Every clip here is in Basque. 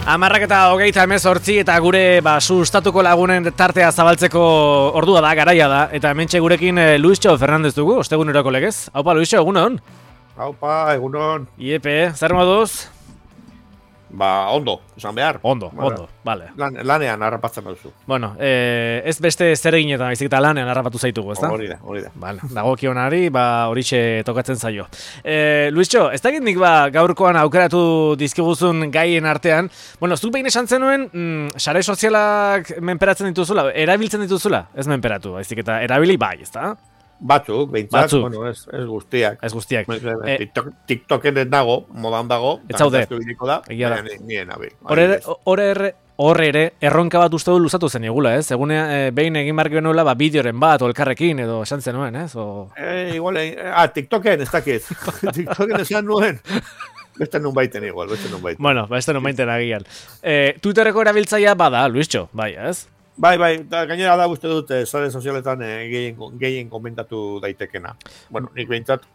10:28 eta gure sustatuko lagunen tartea zabaltzeko ordua da, garaia da. Eta hementxe gurekin Luisxo Fernandez dugu, osteguneroko legez. Haupa, Luisxo, egunon? Haupa, egunon. Iepe, zer moduz? Ondo, esan behar. Ondo, vale. Lanean harrapatzen duzu. Bueno, ez beste zer eginetan, baizik eta lanean harrapatu zaitugu, ezta? Hori da. Vale, dagokionari, horixe tokatzen zaio. Luisxo, ez dakit nik gaurkoan aukeratu dizkiguzun gaien artean, bueno, zuk behin esan zenuen, sare sozialak menperatzen dituzula, erabiltzen dituzula, ez menperatu, baizik eta erabili bai, ezta? Batzuk, behintzat, bueno, ez guztiak. Ez guztiak. TikToken ez dago, modan dago. Ez zaude. Egia da. Nien, abi. Hor ere, erronka bat uste du luzatu zen egula, ez? Egun behin egin barri genuela, bideoren bat, o elkarrekin, edo esan zenuen, ez? Igual, TikToken ez dakit. TikToken esan nuen. Beste nun baiten igual, Bueno, beste nun baiten agian. Twitterreko erabiltzaia bada, Luisxo, bai, ez? Bai, eta gainera da uste dut, sare sozialetan gehien komentatu daitekena. Bueno, nik behintzat,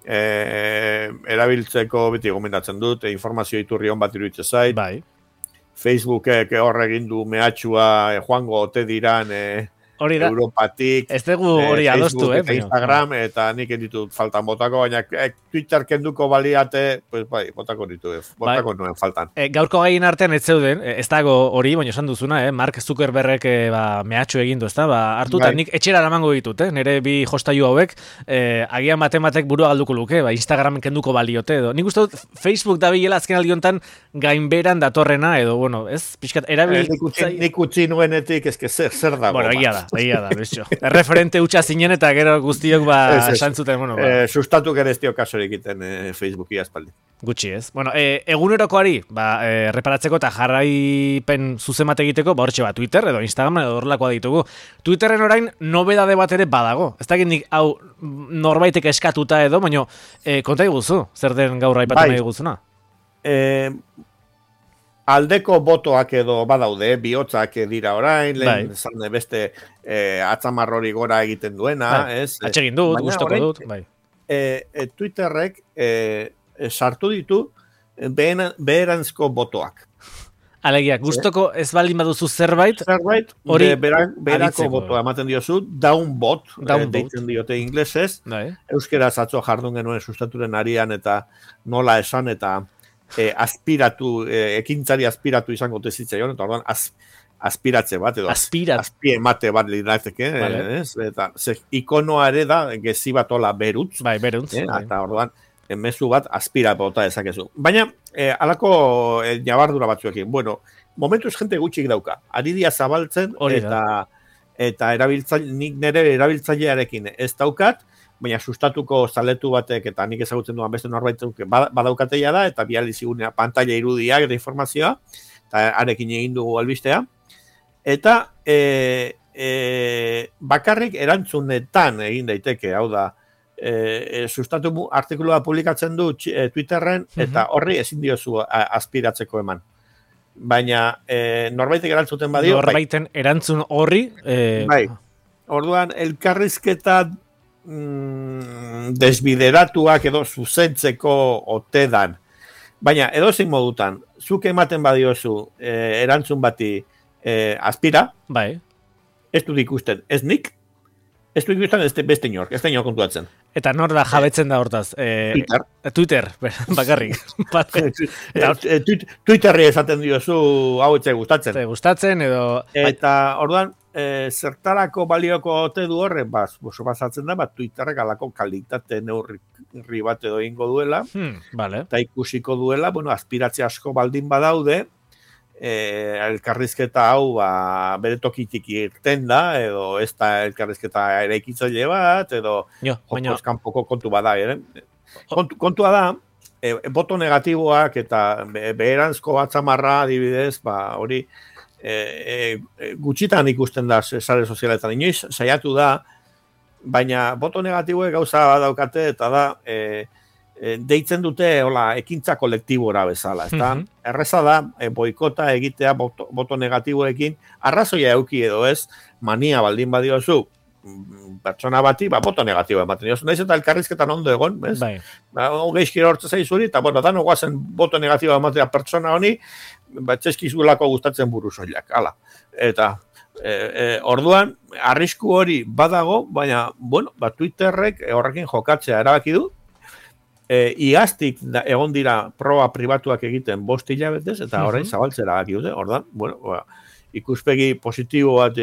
erabiltzeko beti komentatzen dut, informazio iturri hon bat iruditzen zait. Bai. Facebookek hor egin du mehatxua, joango ote diran Europatik, ez dugu hori adostu, Instagram, eta nik ditut faltan botako, baina Twitter kenduko baliate, pues bai, botako nuen faltan. Gaurko gaien artean ez zeuden, ez dago hori, baina esan duzuna, Mark Zuckerbergek mehatxu egin du, ezta? Hartu eta nik etxera eramango ditut, nire bi jostailu hauek, agian batek burua galduko luke, Instagram kenduko baliote, edo. Nik uste dut Facebook da bilela azken aldiontan gainberan datorrena, edo, bueno, ez? Piskat, erabiltzaile... Nik utzi nuenetik, ezke zer dago. Bueno, egia da, Luisxo. Referente hutsa zinen eta gero guztiok esan zuten, bueno. Sustatu ere ez dio kasorik egiten Facebooki aspaldi. Gutxi ez. Bueno, egunerokoari, reparatzeko eta jarraipen zuzemat egiteko, hortxe Twitter edo Instagram edo horrelakoa ditugu. Twitterren orain nobedade bat ere badago. Ez dakit nik hau norbaitek eskatuta edo, baina konta iguzu, zer den gaur aipatu nahi guzuna? Aldeko botoak edo badaude, bihotzak dira orain, lehen zan beste atzamarrori gora egiten duena, ez? Atxegin dut, gustoko dut, bai. Twitterrek sartu ditu beheranzko botoak. Alegia, gustoko ez baldin baduzu zerbait, hori berako botoa ematen diozu, downvote, deitzen diote inglesez, euskeraz atzo jardun genuen sustaturen arian eta nola esan eta aspiratu, ekintzari aspiratu izango tezitzaion, eta orduan aspiratze bat, edo azpie emate bat lirateke, eta ikonoa ere da, gezi bat ola berutz, eta orduan, mezu bat aspira bota ezakezu. Baina, alako nabardura batzuekin, bueno, momentuz jente gutxik dauka, ari dia zabaltzen, eta nik nire erabiltzailearekin ez daukat, baina sustatuko zaletu batek, eta nik ezagutzen duan beste norbaituk badaukateia da, eta biali zigunea pantalla irudiak eta informazioa, eta arekin egin dugu albistea. Eta bakarrik erantzunetan egin daiteke, hau da, sustatu artikulua publikatzen du Twitterren, eta horri ezin diozu aspiratzeko eman. Baina norbaitek erantzuten badio... Norbaiten erantzun horri... Bai, orduan elkarrizketa desbideratuak edo zuzentzeko otedan. Baina, edozein modutan, zuk ematen badiozu erantzun bati aspira, ez dut ikusten, ez nik, ez dut ikusten beste inork, ez da inor kontuatzen. Eta nor da jabetzen da hortaz? Twitter, bakarrik. Twitterri esaten diozu hau etxe gustatzen. Gustatzen edo... Eta orduan, zertarako balioko ote du horre, basatzen da, Twitterrek alako kalitate neurri bat edo ingo duela, eta ikusiko duela, aspiratze asko baldin badaude, elkarrizketa hau bere tokitik irten da, edo ez da elkarrizketa eraikitzaile bat, edo kanpoko kontu bada. Kontua da, boto negatiboak eta beheranzko atzamarra adibidez, hori gutxitan ikusten da sare sozialetan, inoiz saiatu da, baina boto negatiboek gauza daukate eta da deitzen dute ekintza kolektibora bezala, ezta? Erreza da boikota egitea boto negatiboekin, arrazoia eduki edo ez, mania baldin badiozu, pertsona bati, boto negatibo ematen diozu. Naiz eta elkarrizketan ondo egon, bez? Geizkira hortza zaizuri, eta, dano guazen boto negatibo ematea pertsona honi, txeskizulako gustatzen burusoilak, hala. Eta, orduan, arrisku hori badago, baina, bueno, Twitterrek horrekin jokatzea erabaki du, iaztik egon dira proba pribatuak egiten 5 hilabetez, eta orain zabaltzera erabaki dute, orduan, bueno, ikuspegi positibo bat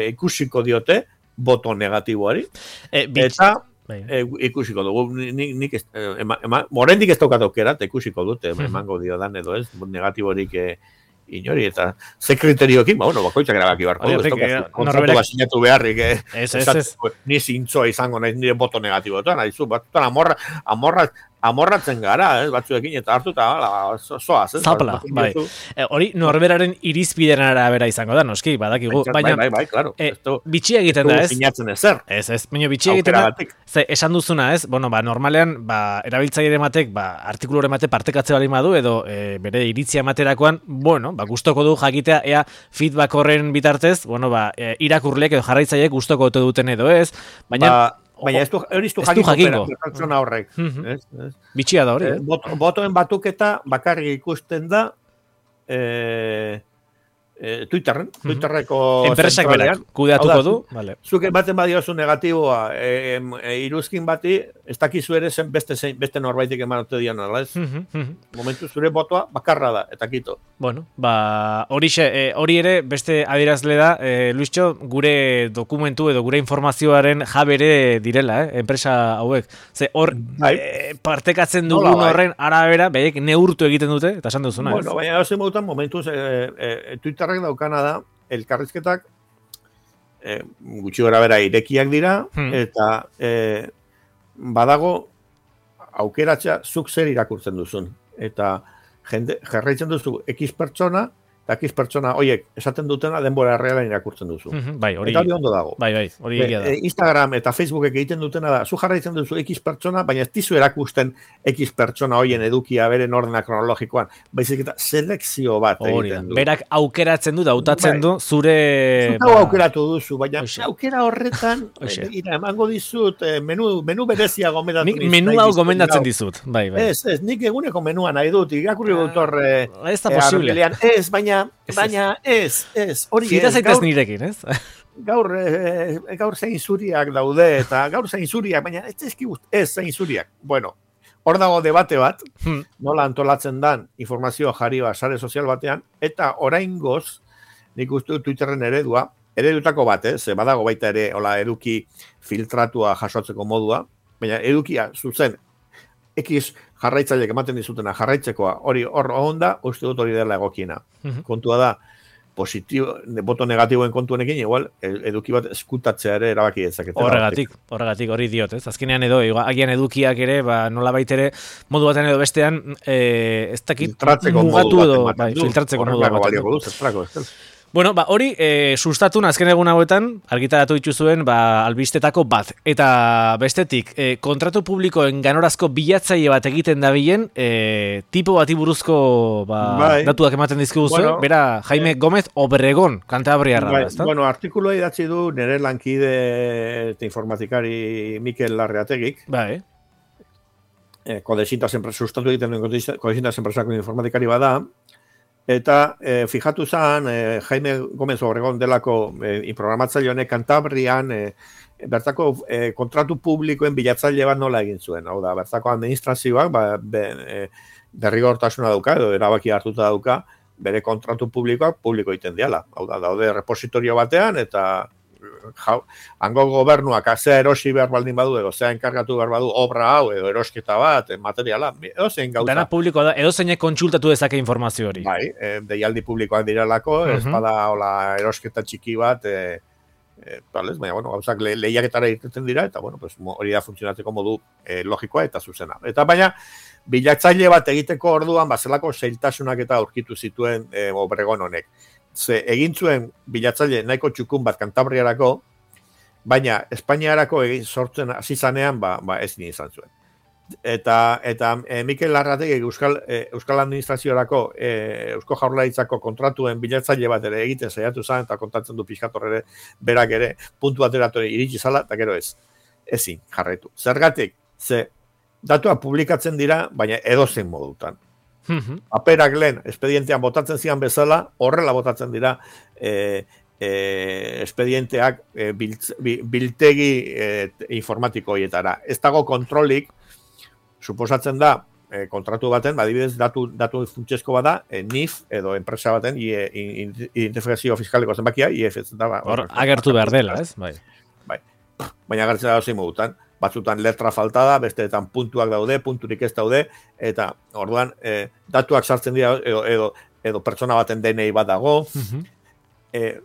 ikusiko diote, boto negatiboari, eta ikusiko dugu, nik morendik ez daukat aukera, eta ikusiko dute, emango diodan edo ez, negatiborik inori, eta ze kriterioekin, bueno, bakoitzak erabaki barko du, ez daukat kontratu bat sinatu beharrik, ni zintzoa izango nahi nire boto negatiboetan, amorratzen gara, batzuekin, eta hartu eta zoaz. Zapla, bai. Hori norberaren irizpideren arabera izango da, noski, badakigu. Bai, claro. Bitxia egiten da, ez? Sinatzen ezer. Ez, baina bitxia egiten da, ze, esan duzuna, ez? Bueno, normalean, erabiltzaile ematek, artikulore emate partekatze bali madu, edo bere iritzia ematerakoan, bueno, gustoko du jakitea, ea feedback horren bitartez, bueno, irakurleek edo jarraitzaileek gustoko ote duten edo ez, baina ez du jakingo pertsona horrek. Bitxia da hori, botoen batuketa bakarrik ikusten da Twitterreko enpresak berak kudeatuko du. Zuk baten badiozu negatiboa iruzkin bati, ez dakizu ere zen beste norbaitik emanote dian, ez? Momentu zure botoa bakarra da, eta kito. Bueno, hori ere beste adierazle da, Luischo, gure dokumentu edo gure informazioaren jabere direla, enpresa hauek. Ze hor partekatzen dugun horren arabera, behek neurtu egiten dute, eta esan duzuna, ez? Bueno, baina hauzen modutan momentuz Twitter daukana da, elkarrizketak gutxi gora bera irekiak dira, eta badago aukeratzea zuk zer irakurtzen duzun. Eta jarraitzen duzu X pertsona, eta X pertsona horiek esaten dutena denbora reala irakurtzen duzu. Bai, hori ondo dago. Bai, hori egia da. Instagram eta Facebookek egiten dutena da, zu jarraitzen duzu X pertsona, baina ez dizu erakusten X pertsona horien edukia beren ordena kronologikoan, baizik eta selekzio bat egiten du. Berak aukeratzen du, dautatzen du, zure... Zutau aukeratu duzu, baina aukera horretan, emango dizut, menu berezia gomendatzen dizut. Menu hau gomendatzen dizut, bai. Ez, nik eguneko menua nahi dut, irakurri dut horre... Ez da posible. Ez, baina ez, hori ez. Zita zaitez nirekin, ez? Gaur zein zuriak daude, eta gaur zein zuriak, baina ez zein zuriak. Bueno, hor dago debate bat, nola antolatzen dan informazioa jarri sare sozial batean, eta oraingoz, nik uste Twitterren eredutako bat, ze badago baita ere, eduki filtratua jasotzeko modua, baina edukia zuzen, X jarraitzaileek ematen dizutena jarraitzekoa, hori hor onda, uste dut hori dela egokiena. Kontua da, boto negatiboen kontuenekin, igual, eduki bat eskutatzea ere erabaki dezakete. Horregatik hori diot, ez? Azkenean edo, agian edukiak ere, nola baitere, modu batean edo bestean, ez dakit, mugatu edo, filtratzeko modu batean. Bueno, hori sustatun azken egun hauetan argitaratu dituzuen albistetako bat. Eta bestetik, kontratu publikoen ganorazko bilatzaile bat egiten dabilen, tipo bati buruzko datuak ematen dizkiguzu, bera Jaime Gómez Obregón, Kantabriarra. Bueno, artikuloa idatzi du nire lankide eta informatikari Mikel Larreategik. Kodesintas sustatu egiten duen Kodesintas enpresako informatikari bada. Eta fijatu zen, Jaime Gómez Obregón delako programatzaile honek Kantabrian bertako kontratu publikoen bilatzaile bat nola egin zuen. Hau da, bertako administrazioak derrigortasuna dauka, edo erabaki hartuta dauka, bere kontratu publikoak publiko egiten diala. Hau da, daude repositorio batean, eta hango gobernuak zea erosi behar baldin badu, edo zea enkargatu behar badu obra hau, edo erosketa bat, materiala, edo zein gauza. Dana publikoa da, edo zeinek kontsultatu dezake informazio hori. Bai, deialdi publikoak direlako, ez bada erosketa txiki bat, baina, bueno, gauzak lehiaketara irteten dira, eta, bueno, hori da funtzionatzeko modu logikoa eta zuzena. Eta baina, bilatzaile bat egiteko orduan, zelako zailtasunak eta aurkitu zituen Obregón honek. Egin zuen bilatzaile nahiko txukun bat Kantabriarako, baina Espainiarako sortzen hasi zanean, ez izan zuen. Eta Mikel Larrategik Euskal Administraziorako, Eusko Jaurlaritzako kontratuen bilatzaile bat ere egiten saiatu zen, eta kontatzen du pixkator ere, berak ere, puntu bateratori iritsi zala, eta gero ezin jarraitu. Zergatik, datuak publikatzen dira, baina edozein modutan. Paperak lehen, espedientean botatzen zian bezala, horrela botatzen dira espedienteak biltegi informatikoietara. Ez dago kontrolik, suposatzen da, kontratu baten, adibidez datu funtsezko bada, NIF edo enpresa baten identifikazio fiskaleko zenbakia, IF ez da. Hor, agertu behar dela, ez? Bai. Baina agertzen da zein modutan. Batzutan letra falta da, besteetan puntuak daude, punturik ez daude, eta orduan datuak sartzen dira edo pertsona baten DNI bat dago,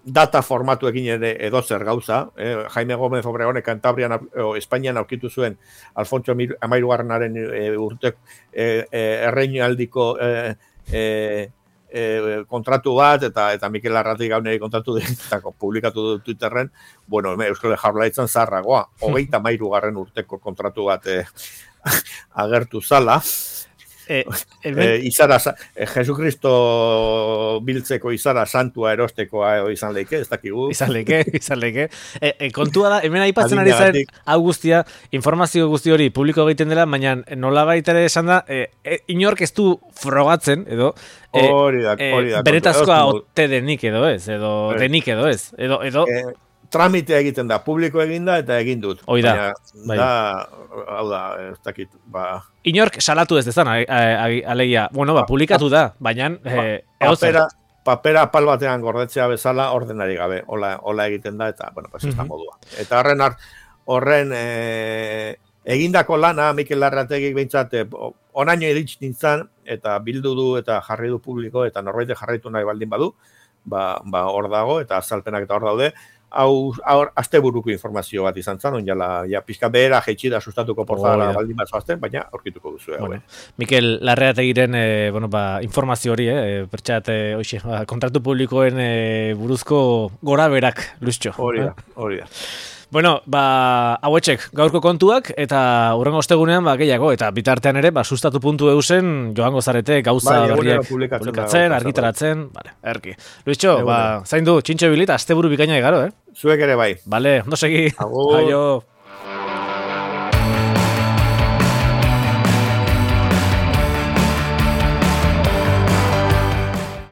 data formatuekin ere edo zer gauza, Jaime Gómez Obregone Kantabrian Espainian aurkitu zuen Alfonso Amairugarrenaren urtek erreinaldiko kontratu bat, eta Mikel Arratik gauneri kontratu ditako publikatu du Twitterren, bueno, Euskal Jaurlaritzan zaharragoa, 33. urteko kontratu bat agertu zala, izara, Jesucristo biltzeko izara santua erostekoa izan leike, ez dakigu. Izan leike. Kontua da, hemen aipatzen ari zen, hau guztia, informazio guzti hori publiko egiten dela, baina nola baita ere esan da, inork ez du frogatzen, edo, hori da. Benetazkoa ote denik edo ez, denik edo ez, edo tramitea egiten da, publiko eginda eta egin dut. Hoi da. Hau da, ez dakit, Inork salatu ez dezan, alegia, bueno, publikatu da, baina... Papera pal batean gordetzea bezala ordenari gabe, hola egiten da, eta, bueno, ez da modua. Eta horren egindako lana, Mikel Larrategik behintzat, onaino iritsi nintzen, eta bildu du, eta jarri du publiko, eta norbaite jarraitu nahi baldin badu, hor dago, eta azalpenak eta hor daude, hau asteburuko informazio bat izan zen, ja pizka behera jeitxida sustatuko portadara baldin bat zoazten, baina aurkituko duzu. Mikel Larrategiren informazio hori, pertxat, kontratu publikoen buruzko gora berak, luztxo. Hori da. Bueno, hauetxek gaurko kontuak, eta hurrengo ostegunean gehiago, eta bitartean ere, sustatu.eusen joango zarete gauza berriak publikatzen, argitaratzen, erki. Luiztxo, zaindu, txintxo bilit, asteburu bikaina egaro, Zuek ere bai. Bale, ondo segi. Agur.